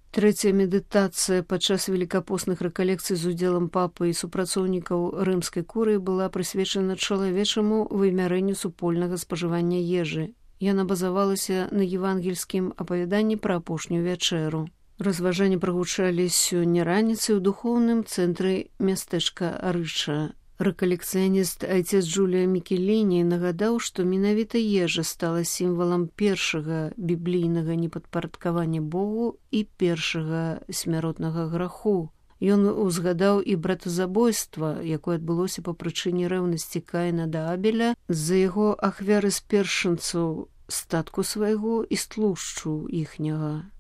Трэцяя медытацыя падчас велікапостных рэкалекцый з удзелам папы і супрацоўнікаў рымскай курыі была прысвечана чалавечаму вымярэнню супольнага спажывання ежы. Яна базавалася на евангельскім апавяданні пра апошнюю вячэру. Разважанні прагучалі сёння раніцай у духоўным цэнтры мястэчка Арыча. Рэкалекцыяніст айцец Джулія Мікеліні нагадаў, што менавіта ежа стала сімвалам першага біблійнага непадпарадкавання Богу і першага смяротнага граху. Ён узгадаў і братазабойства, якое адбылося па прычыне рэўнасці Каіна да Абеля з-за яго ахвяры з першынцаў статку свайго і стлушчу іхняга.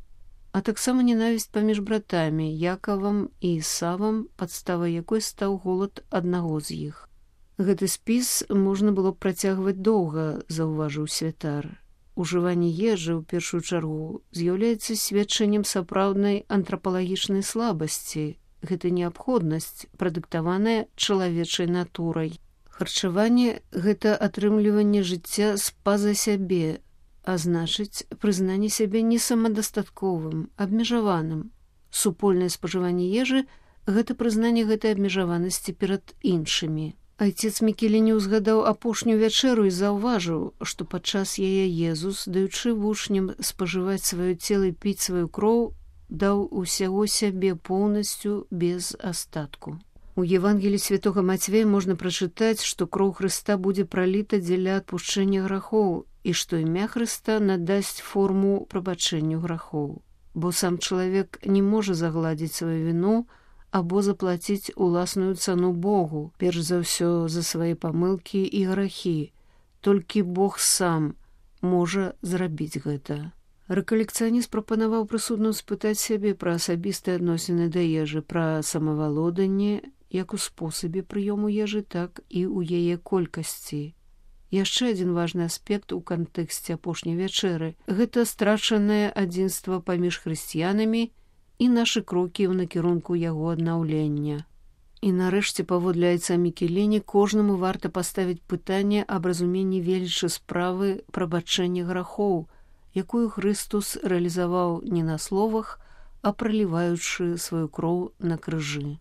А таксама ненавісць паміж братамі Якавам і Ісавам, падставай якой стаў голад аднаго з іх. Гэты спіс можна было б працягваць доўга, заўважыў святар. Ужыванне ежы, у першую чаргу, з'яўляецца сведчаннем сапраўднай антрапалагічнай слабасці. Гэта неабходнасць, прадыктаваная чалавечай натурай. Харчаванне – гэта атрымліванне жыцця з-па-за сябе, а значыць, прызнанне сябе несамадастатковым, абмежаваным. Супольнае спажыванне ежы – гэта прызнанне гэтай абмежаванасці перад іншымі. Айцец Мікеліні ўзгадаў апошнюю вячэру і заўважыў, што падчас яе Езус, даючы вучням спажываць сваё цела і піць сваю кроў, даў усяго сябе поўнасцю без астатку. У Евангелі святога Мацвея можна прачытаць, што кроў Хрыста будзе праліта дзеля адпушчэння грахоў і што імя Хрыста надасць форму прабачэнню грахоў. Бо сам чалавек не можа загладзіць сваю віну або заплаціць уласную цану Богу, перш за ўсё за свае памылкі і грахі. Толькі Бог сам можа зрабіць гэта. Рэкалекцыяніст прапанаваў прысудным спытаць сябе пра асабістыя адносіны да ежы, пра самавалоданне як у спосабе прыёму ежы, так і ў яе колькасці. Яшчэ адзін важны аспект у кантэксце апошняй вячэры – гэта страчанае адзінства паміж хрысціянамі і нашы крокі ў накірунку яго аднаўлення. І нарэшце, паводле айца Мікеліні, кожнаму варта паставіць пытанне аб разуменні велічы справы прабачэння грахоў, якую Хрыстус рэалізаваў не на словах, а праліваючы сваю кроў на крыжы.